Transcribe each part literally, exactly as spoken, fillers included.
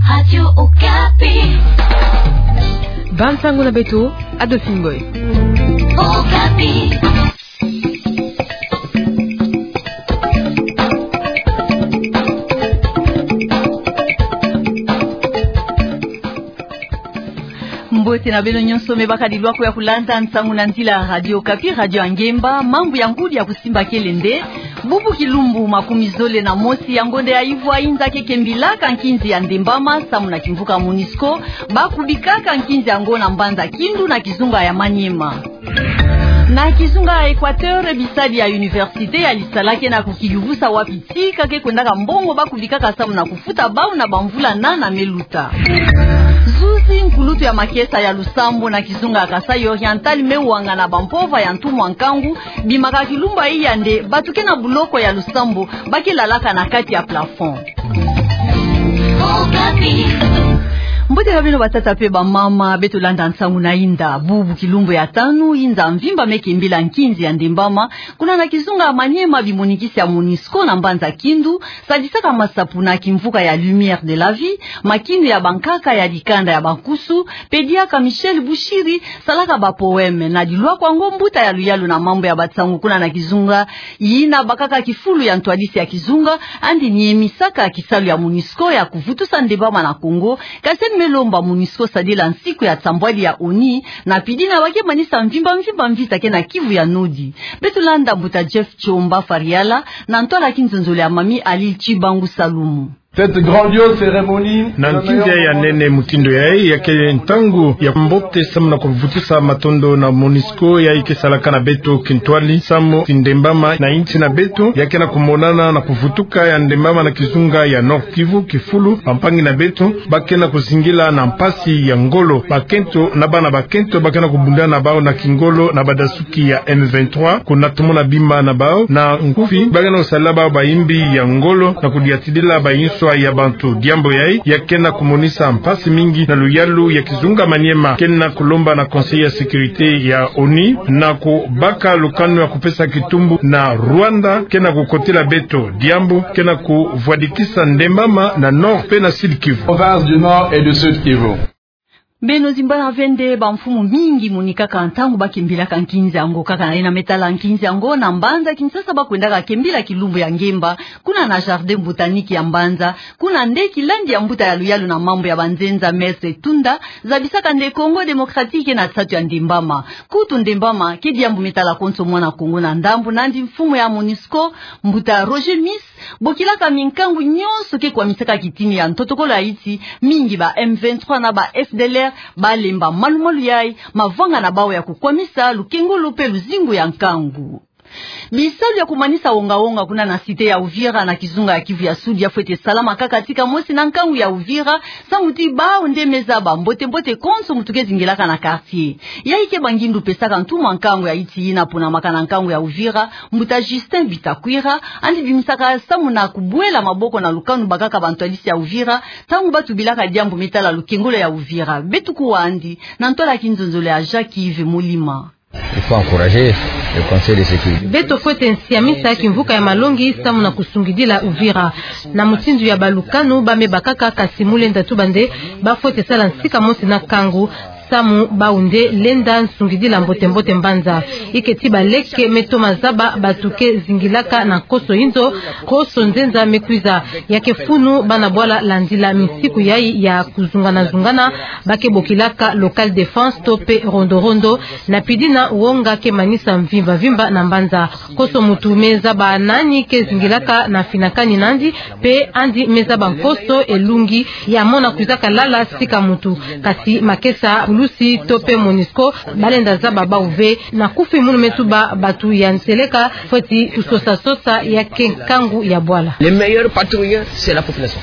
Radio Okapi. Bansango na beto, Adolphine Ngoy. Okapi. Mbote na beno nyonso me baka dilwako ya kulanda nsangu na nzila Radio Okapi, radio ya ngemba, mambu ya ngudi ya kusimba kele nde. Bubu kilumbu makumi zole na mosi ya ngonda ya ivwa inza ke kembilaka nkinzi ya ndembama samu na kimvuka MONUSCO, ba kubikaka nkinzi yango na mbanza Kindu na kizunga ya Maniema. Na kizunga ya Equateur, bisadi ya université ya Lisala ke na kukiyuvusa wapi tika ke kwendaka mbongo ba kubikaka samu na kufuta bau na bamvula nana me luta. Zuzi nkulutu ya makesa ya lusambo na kizunga ya Kasaï Oriental me wangana bampova ya ntumwa nkangu, bimaka kilumbu ya iya nde bato ke na buloko ya lusambo ba ke lalaka na kati ya plafond. Mbote na beno batata pe bamama, beto landa nsangu na inda. Bubu kilumbu ya tanu, inza mvimba me kembila nkinzi ya ndembama kuna na kizunga ya Maniema, bimonikisi ya MONUSCO na mbanza Kindu sadisaka masapo na kimvuka ya Lumière de la Vie, makinu ya bankaka ya dikanda ya bankusu, pe diaka Michel Bushiri salaka ba poème. Na dilwako yango, mbuta ya luyalu na mambu ya bansangu kuna na kizunga yina bakaka kifulu ya ntwadisi ya kizunga, andi niemisaka kisalu ya MONUSCO ya kuvutusa ndembama na Congo, kasi me lomba MONUSCO sadila nsiku ya nsambwadi ya ONU, na pidi na ba ke manisa mvimba mvimba mvita ke na Kivu ya Nodi. Beto landa mbuta Jeff Chomba Fariala na ntwala kinzonzolo ya Mami Ali Chibangu Salumu. Cette grandiose cérémonie. Na nkinzi ya nene mutindu yayi, ya ke ntangu ya mbote samu na kuvutusa matondo na MONUSCO yayi ke salaka na beto kintwadi samu ti ndembama na insi na beto ya ke na kumonana na kuvutuka ya ndembama na kizunga ya Nord-Kivu, kifulu bampangi na beto ba ke na kuzingila na mpasi ya ngolo. Bakento na bana bakento ba ke na kubunda na bau na kingolo na badasuki ya M vingt-trois, kuna tumu na bima na bau na nkufi ba ke na kusalila bau bayimbi ya ngolo na kudiatidila bayinswa ya bantu. Diambu yayi ya ke na kumonisa mpasi mingi na luyalu ya kizunga Maniema. Ke na kulomba na Conseil ya Sécurité ya ONU na kubaka lukanu ya kupesa kitumbu na Rwanda ke na kukotila beto, diambu ke na kuvwadikisa ndembama na Nord pe na Sud-Kivu. Province du Nord et du Sud-Kivu. Beno zimbana ve nde bamfumu mingi monikaka ntangu ba kembilaka nkinzi yango. Kaka na yina me tala nkinzi yango, na mbanza Kinshasa ba kwendaka kembila kilumbu ya ngemba kuna na jardin botanique ya mbanza. Kuna nde kilandi ya mbuta ya luyalu na mambu ya banzenza, Maître Tunda, zabisaka nde Congo Démocratique ke na nsatu ya ndembama. Kutu ndembama ke diambu me tala konso mwana Congo na ndambu, nandi mfumu ya MONUSCO, mbuta Roger Mis, bokilaka minkangu nyonso ke kwamisaka kitini ya ntotokolo ya insi, mingi ba M vingt-trois na ba F D L R, ba lemba malu-malu yayi mavanga na bau ya kukwamisa lukengolo pe luzingu ya nkangu. Bisalu ya kumanisa wonga-wonga kuna na cité ya Uvira na kizunga ya Kivu ya Sud ya fwete salama kaka tika mosi na nkangu ya Uvira, samu ti bau nde me zaba mbote-mbote konso mutu ke zingilaka na quartier. Yayi ke ba ngindu pesaka ntumwa nkangu ya insi yina ponamaka na nkangu ya Uvira, mbuta Justin Bitakwira, andi bimisaka samu na kubwela maboko na lukanu bakaka bantwadisi ya Uvira, ntangu ba tubilaka diambu me tala lukengolo ya Uvira. Beto kuwa andi na ntwala kinzonzolo ya Jacques Yves Molima. Il faut encourager le Conseil de sécurité. Beto fwete nsiamisa kimvuka ya malongi samu na kusungidila Uvira. Na mutindu ya balukanu ba me bakaka, kasi mu lenda tuba nde ba fwete sala nsika mosi na nkangu, samu bau nde lenda nsungidila mbote-mbote mbanza. Iketi baleke me toma zaba batu ke zingilaka na nkoso inzo, nkoso nzenza me kwiza. Ya ke funu bana bwala landila misiku yayi ya kuzungana-zungana, ba ke bokilaka local défense to pe rondo-rondo, na pidi na wonga ke manisa mvimba-mvimba na mbanza. Konso mutu me zaba nani ke zingilaka na finakani nandi, pe andi me zaba nkoso elungi ya mona kwizaka lala sika mutu. Kasi makesa, pulusi to pe MONUSCO ba lenda zaba bau ve. Na kufi munu me tuba batu ya nseleka, fweti kusosa-sosa ya ke nkangu ya bwala. Les meilleurs patrouilleurs, c'est la population.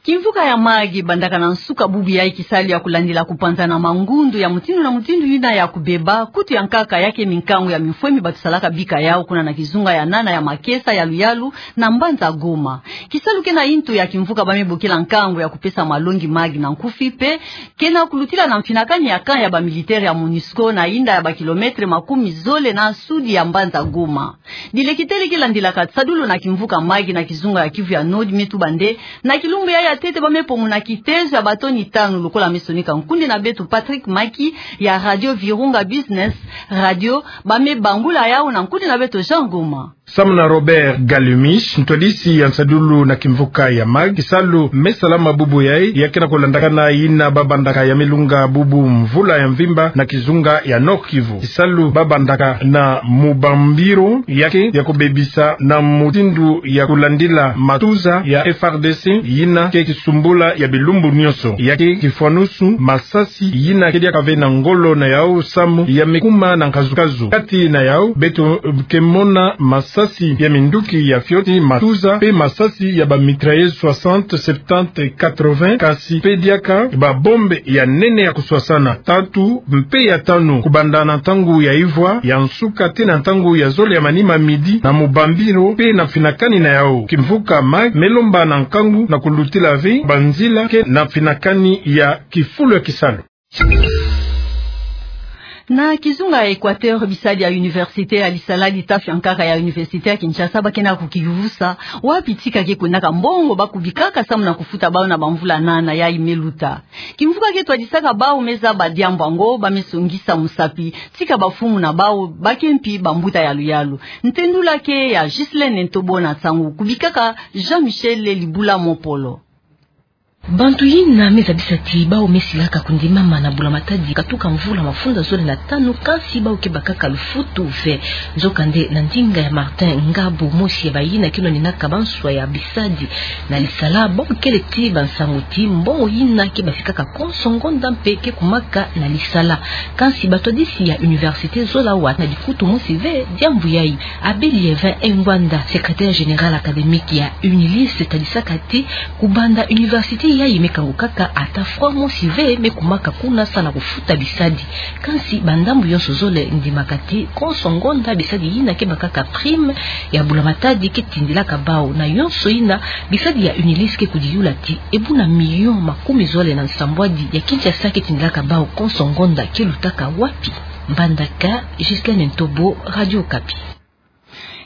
Kimvuka ya Mayi bandaka na nsuka bubu yayi kisalu ya kulandila kupanzana mangundu ya mutindu na mutindu yina ya kubeba, kutu ya nkaka ya ke minkangu ya mifwemi batu salaka bika yau kuna na kizunga ya nana ya makesa ya luyalu na mbanza Goma. Kisalu ke na intu ya kimvuka ba me bokila nkangu ya kupesa malongi Mayi na nkufi pe ke na kulutila na mfinakani ya camp ya ba militaire ya MONUSCO na inda ya ba kilomètre makumi zole na sudi ya mbanza Goma. Dilekitele ke landilaka tisadulu na kimvuka Mayi na kizunga ya Kivu ya Nord me tuba nde na kilumbu yayi Ntete ba me pomu na kitezo ya bato ni tanu lokola me sonika nkundi na beto Patrick Maki ya Radio Virunga Business Radio, ba me bangula yau na nkundi na beto Jean Goma. Samu na Robert Galmiche, ntwadisi ya nsadulu na kimvuka ya MAG, kisalu me salama bubu yai, ya ke na kulandakana yina ba bandaka ya me lunga bubu mvula ya mvimba na kizunga ya Nord-Kivu. Kisalu ba bandaka na mubambiro ya ke ya kubebisa na mutindu ya kulandila matuza ya F R D C, yina ke kisumbula ya bilumbu nionso. Ya ke kifwanusu masasi yina ke diaka ve na ngolo na yau samu ya me kuma na nkazukazu. Kati na yau, beto ke mona masasi ya minduki ya fioti, matuza, pe masasi ya ba mitrailleuses soixante, septante, quatre-vingts, kasi pe diaka ba bombe ya nene ya kuswasana. Tatu mpe ya tanu, kubanda na ntangu ya ivwa ya nsuka tii na ntangu ya zole ya manima midi, na mubambiro pe na mfinakani na yau, kimvuka MAG me lomba na nkangu na kulutila ve banzila ke na mfinakani ya kifulu ya kisalu. Na kizunga ya Equateur, bisadi ya Université ya Lisala, litafi ya nkaka ya Université ya Kinshasa, ba ke na kukivusa wapi tika ke kwendaka mbongo ba kubikaka samu na kufuta bau na bamvula nana yai me luta. Kimvuka ke twadisaka bau me zaba diambu yango, ba me songisa musapi tika bafumuna bau ba ke mpi bambuta yaluyalu. Ntendula ke ya Ghislaine Ntobo na nsangu kubikaka Jean-Michel Libula Mopolo. Bantu yina me zabisa ti bau me silaka kundimama na bula matadi katuka mvula mafunda zole na tanu, kansi bau ke bakaka lufutu ve. Nzokande, na ndinga ya Martin Ngabo, mosi ya bayina ke nwaninaka banswa ya bisadi na Lisala, bau kele ti bansangu ti mbongo yina ke basikaka konso ngonda mpe ke kumaka na Lisala. Kansi batwadisi ya université zola wa na dikutu mosi ve diambu yai. Abbé Liévin Engwanda, secrétaire général académique ya UNILIS, tadisaka ti kubanda université yai me kangukaka, ata franc mosi ve me kumaka kuna samu na kufuta bisadi. Kansi bandambu yonso zole ndimaka ti konso ngonda bisadi yina ke bakaka prime ya bula matadi ke tindilaka bau, na yonso yina bisadi ya UNILIS ke kudiyula ti e buna million makumi zole na nsambwadi ya Kinshasa ke tindilaka bau konso ngonda ke lutaka wapi. Mbandaka, Ghislaine Ntobo, Radio Okapi.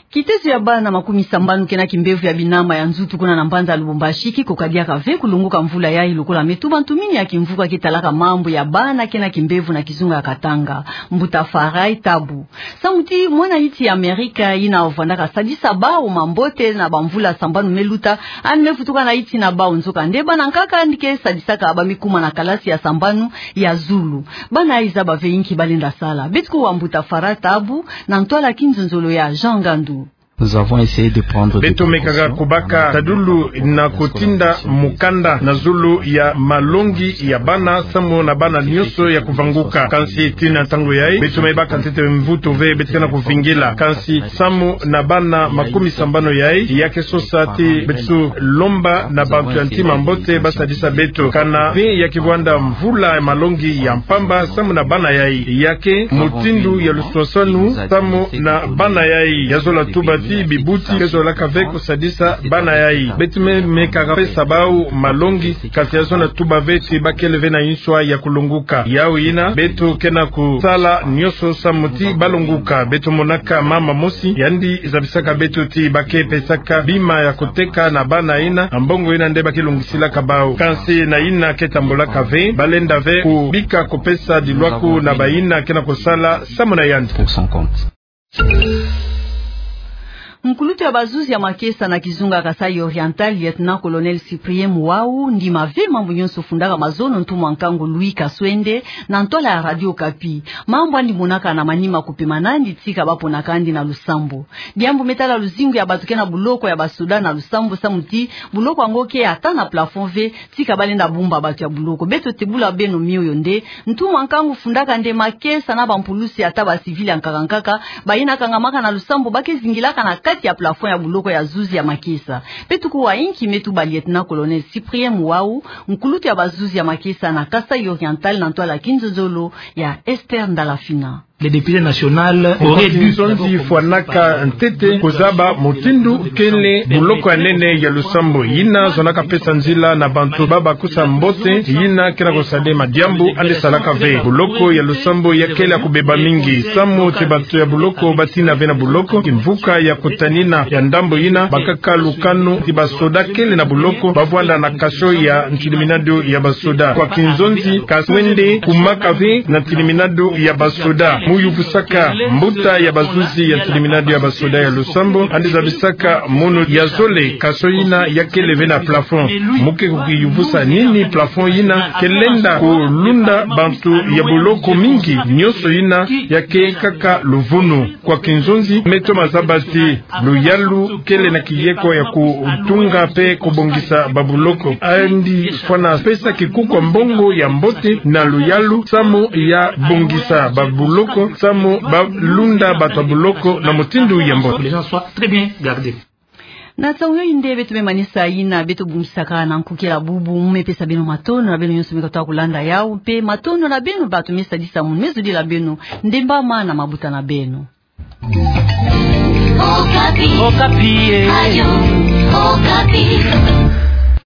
Kitezo ya bana makumi sambanu ke na kimbevo ya binama ya nzutu kuna na mbanza Lubumbashi ke koka diaka ve kulongoka mvula yai lokola me tuba ntumini ya kimvuka ke talaka mambu ya bana ke na kimbevo na kizunga ya Katanga, mbuta Farai Tabu. Samu ti mwana yinti ya Amerika yina vwandaka sadisa bau mambote na bamvula sambanu me luta, yandi me vutuka na yinti na bau, nzokande bana nkaka yandi ke sadisaka ba me kuma na kalasi ya sambanu ya zulu. Bana yai zaba ve inki ba lenda sala. Beto kuwa mbuta Farai Tabu na ntwala kinzonzolo ya Jean Ngandu. Nous avons essayé de prendre des précautions. Beto mekaka kubaka tadulu na kutinda mukanda na zulu ya malongi ya bana samu na bana nionso ya kuvanguka. Kansi tii na ntangu yai, beto me baka ntete mvutu ve, beto ke na kuvingila. Kansi samu na bana makumi sambanu yai, ya ke sosa ti beto lomba na bantu ya ntima mbote ba sadisa beto. Kana ve ya ke vwanda mvula ya malongi ya mpamba samu na bana yai. Ya ke mutindu ya luswaswanu samu na bana yai. Ya zola tuba ti bibuti ke zolaka ve kusadisa bana yai. Beto me mekaka pesa bau malongi, kansi ya zola tuba ve ti ba kele ve na nswa ya kulongoka. Yau yina, beto ke na kusala nionso samu ti ba longoka. Beto monaka mama mosi, yandi zabisaka beto ti ba ke pesaka bima ya kuteka na bana yina, na mbongo yina nde ba ke longisilaka bau. Kansi na yina ke tambulaka ve, ba lenda ve kubika kupesa dilwaku na bayina ke na kusala samu na yandi. Pour son compte. Nkulutu ya bazuzi ya makesa na kizunga Kasaï Oriental, Lieutenant-colonel Cyprien Muwau, ndima ve mambu nionso fundaka mazono ntumwa nkangu Louis Kaswende na ntwala ya Radio Okapi. Mambu yandi monaka na manima kupema na yandi tika ba ponaka yandi na lusambu. Diambu me tala luzingu ya bato ke na buloko ya basoda na lusambu samu ti buloko yango ke ata na plafond ve, tika ba lenda bumba bato ya buloko. Beto tebula beno mioyo nde, ntumwa nkangu fundaka nde makesa na bampulusi ata ba civil ya nkaka nkaka, bayina kangamaka na lusambu ba ke zingilaka na kati ya plafond ya buloko ya zuzi ya makesa. Beto kuwa inki me tuba Lieutenant-colonel Cyprien Muwau, nkulutu ya bazuzi ya makesa na Kasaï Oriental na ntwala kinzonzolo ya Esther Ndalafina. Le député national aurait dû. Nzonzi fwanaka ntete kozaba mutindu kele buloko ya nene ya Lusambo. Yina zonaka pesa nzila na bantu ba bakusa mbote yina ke na kosala madiambu andi salaka ve. Buloko ya Lusambo ya kele ya kubeba mingi. Samu ti bantu ya buloko batina ve na buloko, kimvuka ya kutanina ya ndambo yina, bakaka lukanu ti basoda kele na buloko, bavwanda na kasho ya ntiliminado ya basoda. Kwa kinzonzi, kasho wende kumaka ve na ntiliminado ya basoda. Mu yuvusaka mbuta ya bazuzi ya ntiliminado ya basoda ya Lusambo, andi zabisaka mono ya zole kasho yina ya kele ve na plafond. Mu ke kukiyuvusa nini plafond yina ke lenda kulunda bantu ya buloko mingi, nyonso yina ya ke kaka luvunu. Kwa kinzonzi, meto mazaba ti luyalu kele na kiyeko ya kutunga pe kubongisa babuloko. Andi fwana pesa kikuku ya mbongo ya mbote na luyalu samu ya bongisa babuloko, samu balunda bato ya buloko na mutindu ya mbote. Que les gens soient très bien gardés. Na ntangu yoyo nde beto me manisa yina beto bongisaka na nkukila bubu, mu me pesa beno matondo na beno nyonso me katuka kulanda yawu, mpe matondo na beno bato me sadisa munu, me zudila beno. Ndembama na mabuta na beno. Okapi. Okapi, eh. Radio Okapi.